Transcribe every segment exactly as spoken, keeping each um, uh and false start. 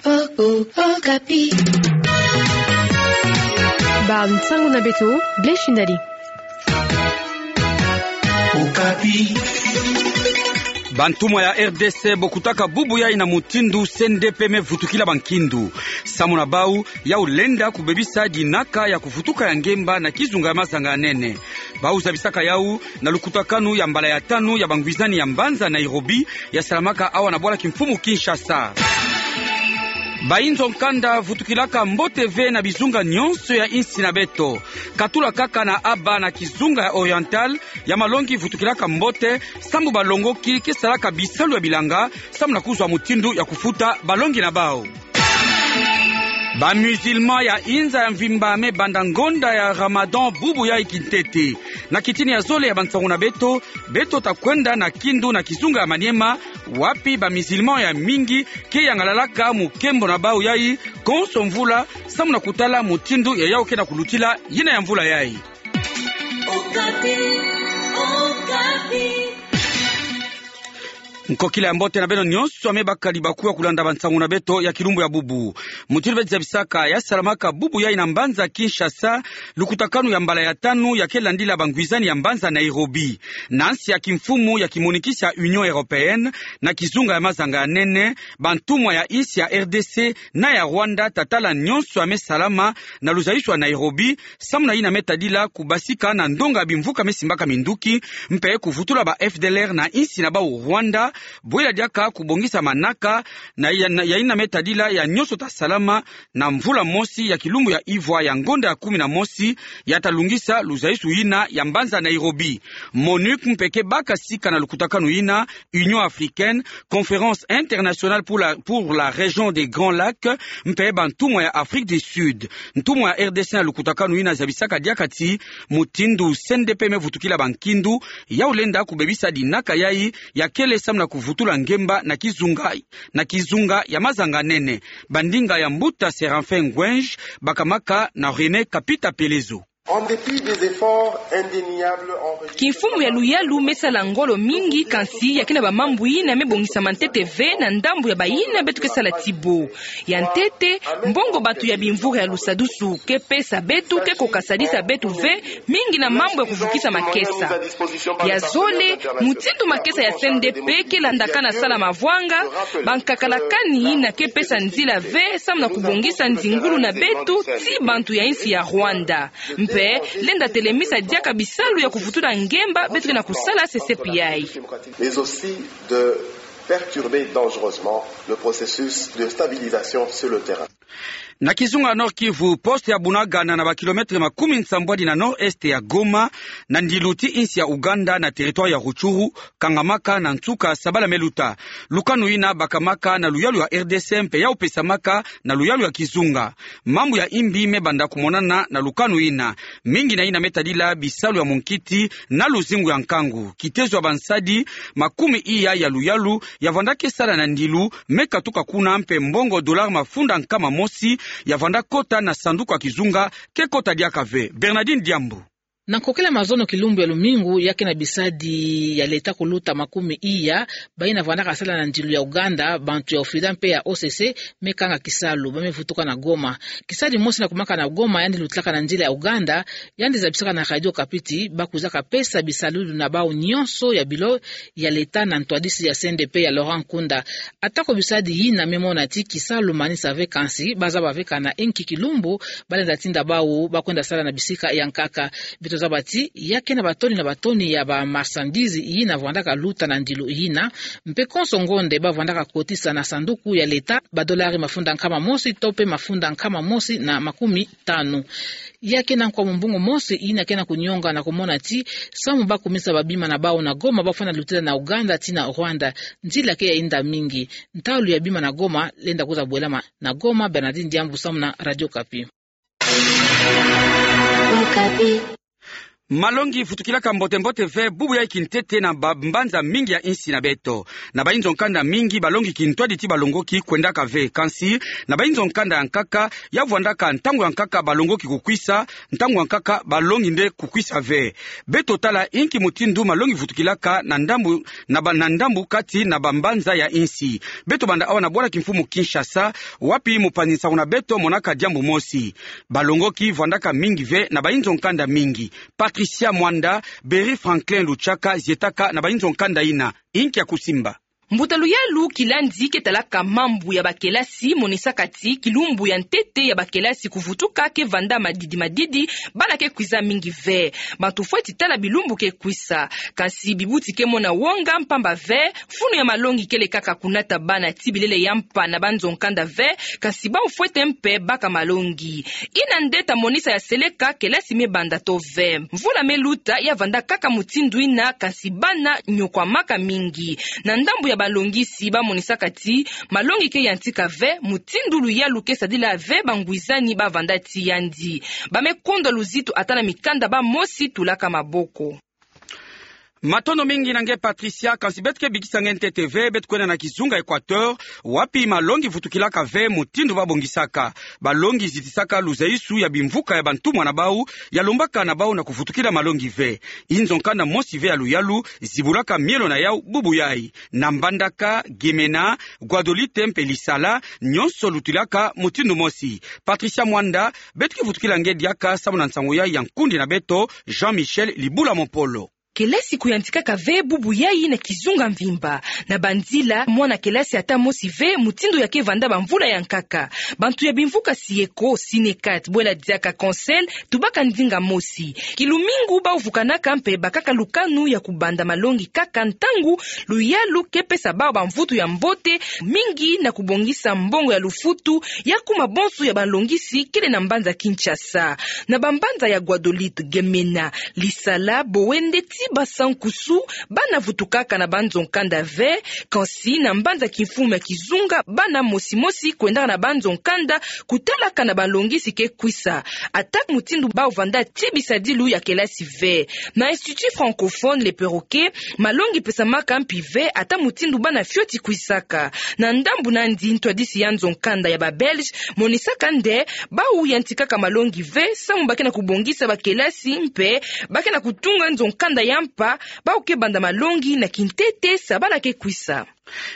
Oh, oh, Okapi. Ba nsangu na beto, Blaise Shindari. Okapi. Bantumwa ya R D C bokutaka bubu yai na mutindu C N D P me vutukila bankindu. Samu na bau, yau lenda kubebisa dinaka ya kuvutuka ya ngemba na kizunga ya mazanga ya nene. Bau zabisaka yau na lukutakanu ya mbala ya tanu ya bangwizani ya mbanza Nairobi, ya salamaka awa na bwala kimfumu Kinshasa. Bainzo nkanda vutukilaka mbote ve na bizunga nyonso ya insi na beto. Katula kaka na Aba na kizunga ya Oriental, ya malongi vutukilaka mbote, sambu balongoki ke salaka bisalu ya bilanga, samu na kuzwa mutindu ya kufuta balongi na bau. Ba musulman ya inza ya mvimba me banda ngonda ya Ramadan bubu yai kintete. Na kitini ya zole ya bansangu na beto, beto ta kwenda na Kindu na kizunga ya Maniema, wapi ba musulman ya mingi ke yangalalaka mukembo na bau yai konso mvula, samu na kutala mutindu ya yau ke na kulutila yina ya mvula yai. Okapi, Okapi. Nkokila ya mbote na beno nyonso ame bakali bakuwa kulanda bansangu na beto ya kilumbu ya bubu. Mutindu beti zabisaka, ya salamaka bubu yai na mbanza Kinshasa lukutakanu ya mbala ya tanu ya ke landila bangwizani ya mbanza Nairobi. Na nsi ya kimfumu ya kimonikisi ya Union Européenne, na kizunga ya mazanga ya nene, bantumwa ya insi ya R D C na ya Rwanda ta tala nyonso ame salama na luzayusu ya Nairobi, samu na yina me tadila kubasika na ndonga bimvuka me simbaka minduki, mpe kuvutula ba F D L R na insi na bau Rwanda, bwela diaka kubongisa manaka, na ya, na ya yina me tadila ya nyonso ta salama, na mvula mosi ya kilumbu ya ivwa ya ngonda ya kumi na mosi, ya ta lungisa luzayusu yina ya mbanza Nairobi. MONUC mpe ke baka sika na lukutakanu yina, Union africaine, Conférence internationale pour la, pour la région des Grands Lacs, mpe bantumwa ya Afrique du Sud. Ntumwa ya R D C na lukutakanu yina zabisaka diaka ti, mutindu C N D P me vutukila bankindu, yau lenda kubebisa dinaka yai, ya kele samu na kuvutula ngemba na kizunga, na kizunga ya mazanga nene. Bandinga ya mbuta Séraphin Ngwenj, bakamaka na René Kapita Pelezo. En dépit des efforts indéniables enregistrés. Kimfumu ya luyalu me sala ngolo mingi, kansi ya ke na bamambu yina me bongisama ntete ve na ndambu ya bayina beto ke sala ti bo. Ya ntete, mbongo bantu ya bimvura ya lusadusu ke pesa beto ke ko kasadisa beto ve mingi na mambu ya kuvukisa makesa. Ya zole, mutindu makesa ya C N D P ke landaka na sala mavwanga, bankakalakani yina ke pesa nzila ve samu na kubongisa nzingulu na beto ti bantu ya insi ya Rwanda. Mpe lenda telemisa diaka bisalu ya kuvutula ngemba beto ke na kusala C C P I. Mais aussi de perturber dangereusement le processus de stabilisation sur le terrain. Na kizunga Nord-Kivu, poste ya Bunagana na ba kilomètre makumi nsambwadi na nord-est ya Goma, na ndilu ti insi ya Ouganda na territoire ya Rutshuru, kangamaka na nsuka sabala me luta. Lukanu yina bakamaka na luyalu ya R D C mpe yau pesamaka na luyalu ya kizunga. Mambu ya imbi me banda kumonana na lukanu yina. Mingi na yina me tadila bisalu ya munkiti na luzingu ya nkangu. Kitezo ya bansadi makumi iya ya luyalu ya vanda ke sala na ndilu me katuka kuna mpe mbongo dollar mafunda nkama mosi ya vanda kota na sanduku ya kizunga ke kota diaka ve. Bernardine Diambu. Na nkokila mazono kilumbu ya lumingu, ya ke na bisadi ya leta kuluta makumi iya, bayina vandaka sala na ndilu ya Ouganda, bantu ya OFIDA mpe ya O C C, me kanga kisalu, ba me vutuka na Goma. Kisadi mosi na kumaka na Goma, yandi lutilaka na nzila ya Ouganda, yandi zabisaka na Radio Okapi ti ba kwizaka pesa bisalu na bawu nyonso ya bilo ya leta na ntwadisi ya C N D P ya Laurent Nkunda. Atako bisadi yina me mona ti kisalu manisa ve, kansi ba zaba ve kana inki kilumbu ba lenda tinda bawu ba kwenda sala na bisika ya nkaka. Beto zaba ti ya ke na batoni na batoni ya ba marchandises yina vandaka luta na ndilu yina, mpe konso ngonde ba vandaka kotisa na sanduku ya leta ba dolari mafunda nkama mosi to mpe mafunda nkama mosi na makumi tanu. Ya ke na nkwa mumbungu mosi yina ke na kunionga na kumona ti samu ba kumisa ba bima na bawu na Goma, ba fwana lutila na Ouganda tii na Rwanda. Nzila ke ya inda mingi. Ntalu ya bima na Goma lenda kwiza bwelama na Goma. Bernardine Diambu samu na Radio Okapi. Okapi. Malongi vutukilaka mbote-mbote ve bubu yai kintete na bambanza mingi ya insi na beto. Na bainzo-nkanda mingi, balongi kintwadi ti balongoki kwendaka ve. Kansi, na bainzo-nkanda ya nkaka, ya vwandaka ntangu ya nkaka balongoki kukwisa, ntangu ya nkaka balongi nde kukwisa ve. Beto tala inki mutindu malongi vutukilaka na ndambu, na ba-, na ndambu kati na bambanza ya insi. Beto banda awa na bwala kimfumu Kinshasa, wapi mupanzi-nsangu na beto monaka diambu mosi. Balongoki vwandaka mingi ve na bainzo-nkanda mingi. Patricia Mwanda, Berry Franklin Luchaka zietaka na bainzo-nkanda ina. Inki ya kusimba? Mbuta luyalu Kilandi ke talaka mambu ya bakelasi monisaka ti kilumbu ya ntete ya bakelasi kuvutuka ke vanda madidi-madidi, bana ke kwiza mingi ve. Bantu fweti tala bilumbu ke kwisa. Kansi bibuti ke mona wonga mpamba ve, funu ya malongi kele kaka kunata bana ti bilele ya mpa na banzo-nkanda ve, kansi bau fwete mpe baka malongi. Ina nde ta monisa ya seleka kelasi me banda to ve. Mvula me luta ya vanda kaka mutindu ina, kansi bana nyokwamaka mingi. Na ndambu ya balongisi, ba monisaka ti malongi ke yantika ve, mutindu luyalu ke sadila ve bangwizani ba vanda ti yandi. Ba me kondwa luzitu ata na mikanda ba mosi tulaka maboko. Matondo mingi na nge Patricia, kansi beto ke bikisa nge ntete ve, beto kwenda na kizunga Equateur, wapi malongi vutukilaka ve mutindu ba bongisaka. Balongi zitisaka luzaisu ya bimvuka ya bantumwa na bau, ya lombaka na bau na kuvutukila malongi ve. Inzo-nkanda mosi ve ya luyalu zibulaka mielo na yau bubu yai. Na Mbandaka, Gemena, Guadolite mpe Lisala, nyonso lutilaka mutindu mosi. Patricia Mwanda, beto ke vutukila nge diaka samu na nsangu yai ya nkundi na beto, Jean-Michel Libula Mopolo. Kelasi kuyantikaka ve bubu yai na kizunga mvimba. Na banzila, mwana kelasi ata mosi ve, mutindu ya ke vanda bamvula ya nkaka. Bantu ya bimvuka Sieko, Sinecat, Bwela Diaka, Conseil, tubaka ndinga mosi. Kilumingu bau vukanaka mpe bakaka lukanu ya kubanda malongi kaka ntangu luyalu ke pesa bau bamvutu ya mbote mingi na kubongisa mbongo ya lufutu ya kuma bonso ya balongisi kele na mbanza Kinshasa. Na bambanza ya Guadolite, Gemena, Lisala, Bowende ti Basankusu, bana vutukaka na banzo-nkanda ve, kansi na mbanza kimfumu ya kizunga, bana mosi-mosi kwendaka na banzo-nkanda kutalaka na balongisi ke kwisa. Ata mutindu bau vanda ti bisadilu ya kelasi ve. Na Institut Francophone Le Perroquet, malongi pesamaka mpi ve ata mutindu bana fioti kwisaka. Na ndambu nandi, ntwadisi ya nzo-nkanda ya ba Belge monisaka nde bau yantikaka malongi ve samu ba ke na kubongisa bakelasi mpe ba ke na kutunga nzo-nkanda ya mpa, bau ke banda malongi na kintete sa bana ke kwisa.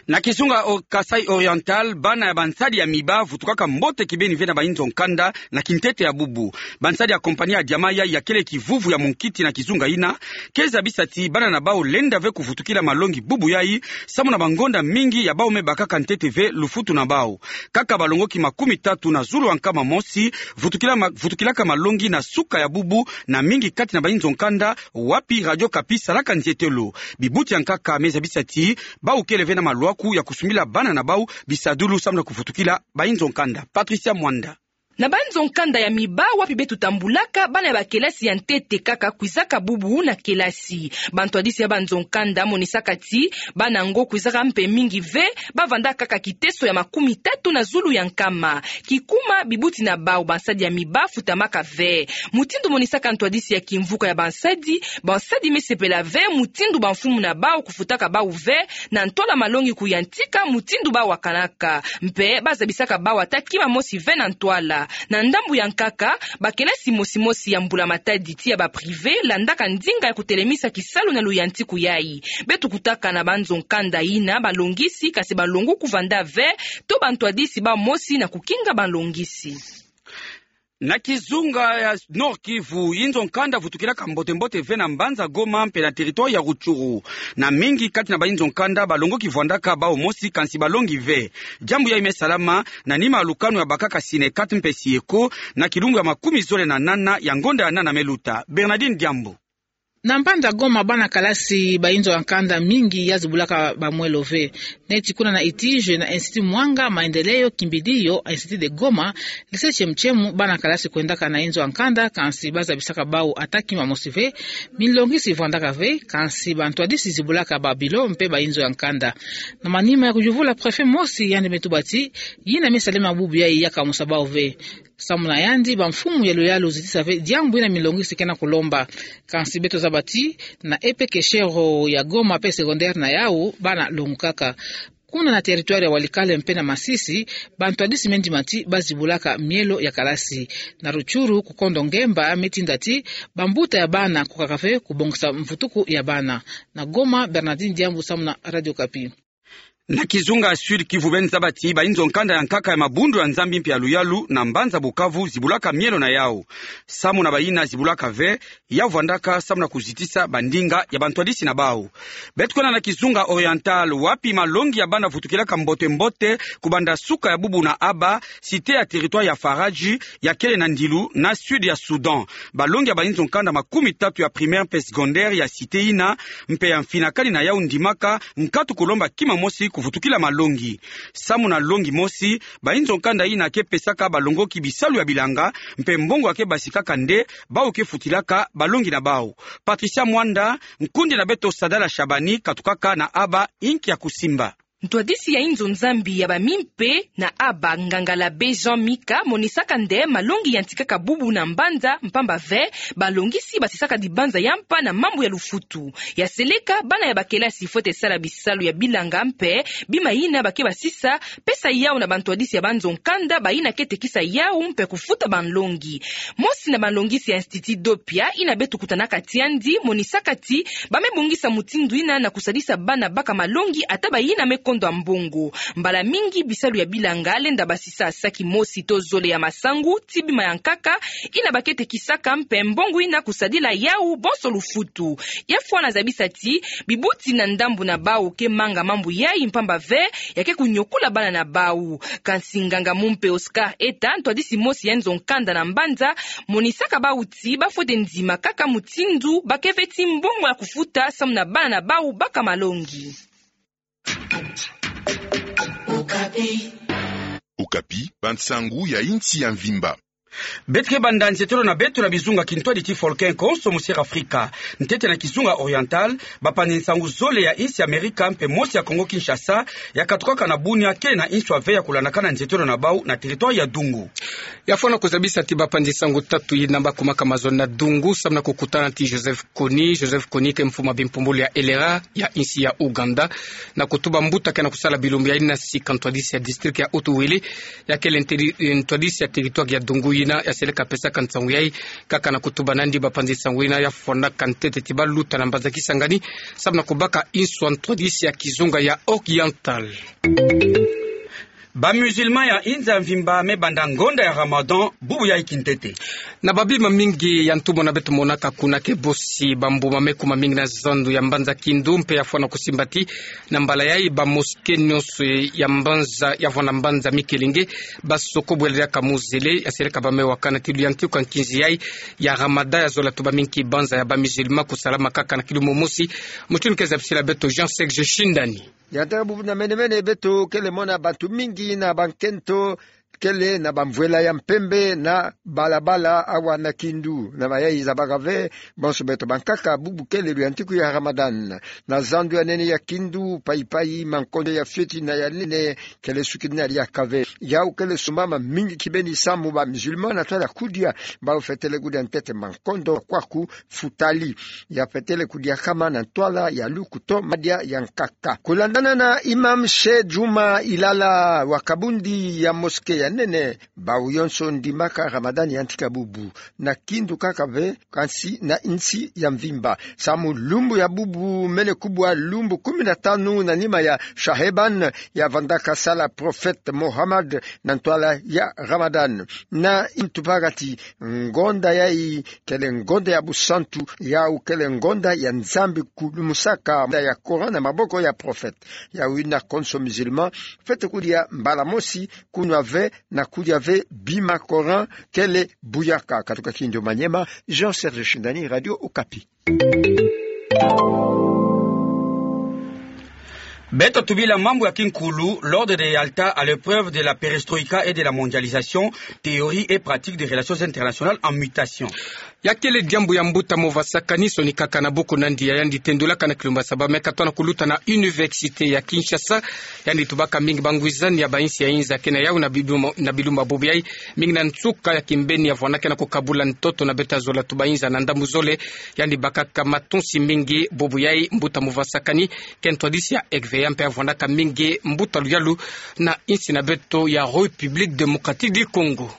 Na kizunga o Kasaï Oriental, bana ya bansadi ya miba vutukaka mbote kibeni ve na bainzo-nkanda na kintete ya bubu. Bansadi ya compagnie ya Diama yai ya kele kivuvu ya munkiti na kizunga ina, ke zabisa ti bana na bau lenda ve kuvutukila malongi bubu yai, samu na bangonda mingi ya bau me bakaka ntete ve lufutu na bau. Kaka balongoki makumi tatu na zulu ya nkama mosi vutukila ma-, vutukilaka malongi na suka ya bubu na mingi kati na bainzo-nkanda wapi Radio Okapi salaka nzietelo. Bibuti ya nkaka me zabisa ti bau kele ve na malwaku ya kusumbila bana na bau bisadilu samu na kuvutukila bainzo-nkanda. Patricia Mwanda. Na banzo-nkanda ya miba wapi beto tambulaka, bana ya bakelasi ya ntete kaka kwizaka bubu na kelasi. Bantwadisi ya banzo-nkanda monisaka ti bana yango kwizaka mpe mingi ve, ba vanda kaka kiteso ya makumi tatu na zulu ya nkama. Kikuma, bibuti na bau bansadi ya miba futamaka ve. Mutindu monisaka ntwadisi ya kimvuka ya bansadi, bansadi me sepela ve mutindu bamfumu na bau kufutaka bau ve na ntwala malongi kuyantika mutindu bau wakanaka. Mpe ba zabisaka bau ata kima mosi ve na ntwala. Na ndambu ya nkaka, bakelasi mosi-mosi ya mbula-matadi ti ya ba privé landaka ndinga ya kutelemisa kisalu na luyantiku yai. Beto kutaka na banzo-nkanda ina balongisi, kansi balongo kuvanda ve, to bantwadisi ba mosi na kukinga balongisi. Na kizunga ya Nord-Kivu, inzo-nkanda vutukilaka mbote-mbote ve na mbanza Goma mpe na territoire ya Rutshuru. Na mingi kati na bainzo-nkanda balongoki vwandaka bau mosi, kansi balongi ve. Diambu yai me salama na nima ya lukanu ya bakaka Sinecat mpe Sieko na kilumbu ya makumi zole na nana ya ngonda ya nana me luta. Bernardine Diambu. Na mbanza Goma, bana kalasi bainzo ya nkanda mingi ya zibulaka bamwelo ve. Neti kuna na Itije, na Institut Mwanga Maendeleo Kimbilio, Institut de Goma, Lycée Tchemu Tchemu, bana kalasi kwendaka na inzo ya nkanda, kansi ba zabisaka bau ata kima mosi ve, minlongisi vwandaka ve, kansi bantwadisi zibulaka ba bureau mpe bainzo ya nkanda. Na manima ya kuyuvula, préfet mosi yandi me tuba ti yina me salema bubu yai ya kamusa bau ve. Samu na yandi, bamfumu ya luyalu zitisa ve diambu ina milongi si kena kulomba. Kansi beto zaba ti, na E P keshero ya Goma pe secondaire na yau, bana longukaka. Kuna na territoire ya Walikale mpe na Masisi, bantwadisi me ndima ti bazibulaka mielo ya kalasi. Na Rutshuru, kukondo ngemba me tinda ti bambuta ya bana kukaka ve kubongisa mvutuku ya bana. Na Goma, Bernardine Diambu samu na Radio Okapi. Na kizunga ya Sud-Kivu beno zaba ti bayinzo nkanda ya nkaka ya mabundu ya Nzambi mpe ya luyalu na mbanza Bukavu zibulaka mielo na yau. Samu na bayina zibulaka ve, ya vwandaka samu na kuzitisa bandinga ya bantwadisi na bau. Beto kwenda na kizunga Oriental, wapi malongi ya bana vutukilaka mbote-mbote, kubanda suka ya bubu na aba, cité ya territoire ya Faradji, ya kele na Ndilu, na sud ya Soudan. Balongi ya bayinzo nkanda makumi tatu ya primaire mpe secondaire ya cité yina, mpe ya mfinakani na yau ndimaka, nkatu kulomba kima mosi kuvutukila malongi. Samu na longi mosi, bayinzo nkanda yina ke pesaka balongoki bisalu ya bilanga, mpe mbongo ya ke basikaka nde, bau ke futilaka balongi na bau. Patricia Mwanda, nkundi na beto Sadala Shabani, katukaka na aba inki ya kusimba. Ntwadisi ya inzo Nzambi ya bamimpe na aba nganga l'abbé Jean Mika monisaka nde malongi yantikaka bubu na mbanza mpamba ve, balongisi basisaka dibanza ya mpa na mambu ya lufutu. Ya seleka, bana ya bakelasi fwete sala bisalu ya bilanga mpe bima yina ba ke basisa, pesa yau na bantwadisi ya banzo nkanda bayina ke tekisa yau mpe kufuta banlongi. Mosi na banlongisi ya Institut Doppia yina beto kutanaka tiandi monisaka ti ba me bongisa mutindu yina na kusadisa bana baka malongi ata bayina me kondwa mbongo. Mbala mingi bisalu ya bilanga lenda basisa saki mosi to zole ya masangu ti bima ya nkaka yina ba ke tekisaka mpe mbongo yina kusadila yau bonso lufutu. Ya fwana zabisa ti bibuti na ndambu na bau ke manga mambu yai mpamba ve ya ke kunyokula bana na bau. Kansi nganga mumpe Oscar Eta, ntwadisi mosi ya nzo nkanda na mbanza, monisaka bau ti ba fwete ndima kaka mutindu ba ke ve ti mbongo ya kufuta samu na bana na bau baka malongi. Okapi, bansangu ya insi ya mvimba. Beto ke banda nzietolo na beto na bizunga kintwadi ti folklore konso mu Sierra Afrika. Ntete na kizunga Oriental, bapanzi nsangu zole ya insi Amerika mpe mosi ya Kongo Kinshasa, ya katukaka na Bunia kele na inswa ve ya kulandakana nzietolo na bau na territoire ya Dungu. Ya fwana kuzabisa ti bapanzi nsangu tatu yina ba kumaka mazono na Dungu samu na kukutana ti Joseph Kony. Joseph Kony ke mfumu ya bimpumbulu ya L R A ya insi ya Ouganda, na kutuba mbuta kena kusala bilumbu ya inasi ka ntwadisi ya district ya Haut-Uele, ya kele nteri-, ntwadisi ya territoire ya Dungu yina ya seleka pesaka nsangu yai. Kaka na kutuba nandi, bapanzi nsangu yina ya fwanaka ntete ti ba luta na mbanza Kisangani samu na kubaka inswa ntwadisi ya kizunga ya Oriental. Ba musulman ya inza mvimba me banda ngonda ya Ramadan bubu yai kintete. Na babima mingi ya ntumona beto monaka kuna ke bosi bambuma me kuma mingi na zandu ya mbanza Kindu, mpe ya fwana kusimba ti na mbala yai ba mosquée nyonso ya mbanza, ya vwanda mbanza Mikelenge, ba soko bwela diaka mu zele, ya seleka ba me wakana ti luyantiku ya nkinzi yai ya Ramadan ya zola tuba mingi banza ya ba musulman kusalama kaka na kilu momosi. Mutindu ke zabisila beto Jean Serge Shindani. Ya ntaka bubu na mene-mene beto kele mona bantu mingi na bankento kele na bamvwela ya mpembe na balabala awa na Kindu. Na mayai zabaka ve, bonso beto bankaka bubu kele luyantiku ya Ramadan. Na zandu ya nene ya Kindu, pai-pai mankondo ya fioti na ya nene kele sukinina diaka ve. Yau kele sumbama mingi kibeni samu ba musulman na ntwala kudia, bau fwetele kudia ntete mankondo kwaku futali. Ya fwetele kudia kama na ntwala ya luku to madia ya nkaka. Kulandana na Imam Sheikh Juma Ilala wa kabundi ya mosquée ya nene, bau yonso ndimaka Ramadan yantika bubu. Na Kindu kaka ve, kansi na insi ya mvimba. Samu lumbu ya bubu mene kubwa lumbu kumi na tanu na nima ya Sha'ban, ya vandaka sala Prophète Muhammad na ntwala ya Ramadan. Na intupagati ngonda yai kele ngonda ya busantu, yau kele ngonda ya Nzambi kulumusaka ya Coran na maboko ya Prophète. Yau yina konso musulman fwete kudia mbala mosi, kunwa ve na kudia ve bima Coran kele buyaka. Katuka Kindu Maniema, Jean Serge Shindani, Radio Okapi. Beto tubila mambu ya kinkulu, l'ordre de Yalta à l'épreuve de la perestroïka et de la mondialisation, théorie et pratique des relations internationales en mutation. Ya kele diambu ya mbuta Mova Sakani, sonikaka na buku na ndia, yandi tendulaka na kilumbu saba me katwa na kuluta na Université ya Kinshasa. Yandi tubaka mingi bangwizani ya bainsi ya inza ke na yau na bilumbu, na bilumbu bubu yai, mingi na nsuka ya kimbeni ya vwandaka na kukabula ntoto na beto ya zola tuba inza na ndambu zole. Yandi bakaka matunsi mingi bubu yai, mbuta Mova Sakani, ke ntwadisi ya ECVA mpe ya vwandaka mingi mbuta luyalu na insi na beto ya République Démocratique du Congo.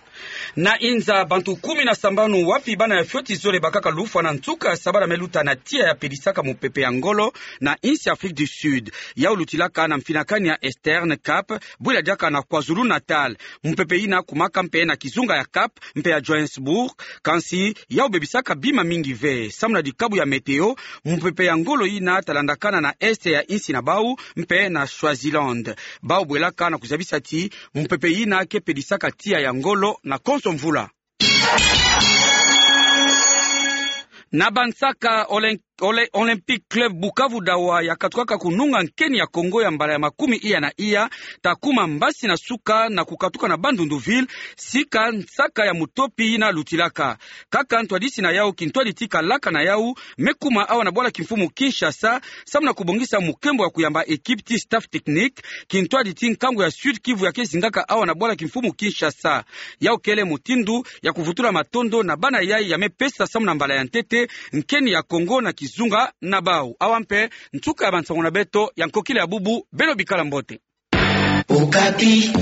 Na inza, bantu kumi na sambanu wapi bana ya fioti zole bakaka lufwa na nsuka ya sabala me luta na tiya ya pedisaka mupepe ya ngolo na insi Afrique du Sud. Yau lutilaka na mfinakani ya Eastern Cape, bwila diaka na KwaZulu-Natal. Mupepe yina kumaka mpe na kizunga ya Cape mpe ya Johannesburg, kansi yau bebisaka bima mingi ve. Samu na dikabu ya météo, mupepe ya ngolo yina ta landakana na est ya insi na bau mpe na Swaziland. Bau bwelaka na kuzabisa ti mupepe yina ke pedisaka tiya ya ngolo na konso mvula. Na bansaka, Olen-, Ole-, Olympique Club Bukavu Dawa, ya katukaka kununga nkeni ya Congo ya mbala ya makumi iya na iya, ta kuma mbasi na suka na kukatuka na Bandundu-Ville, sika nsaka ya mutopi yina lutilaka. Kaka ntwadisi na yau kintwadi ti kalaka na yau me kuma awa na bwala kimfumu Kinshasa, samu na kubongisa mukembo ya kuyamba équipe ti staff technique, kintwadi ti nkangu ya Sud-Kivu ya ke zingaka awa na bwala kimfumu Kinshasa. Yau kele mutindu ya kuvutula matondo na bana yai ya me pesa samu na mbala ya ntete nkeni ya Congo na kizunga na bau. Awa mpe nsuka ya bansangu na beto ya nkokila ya bubu, beno bikala mbote. Okapi.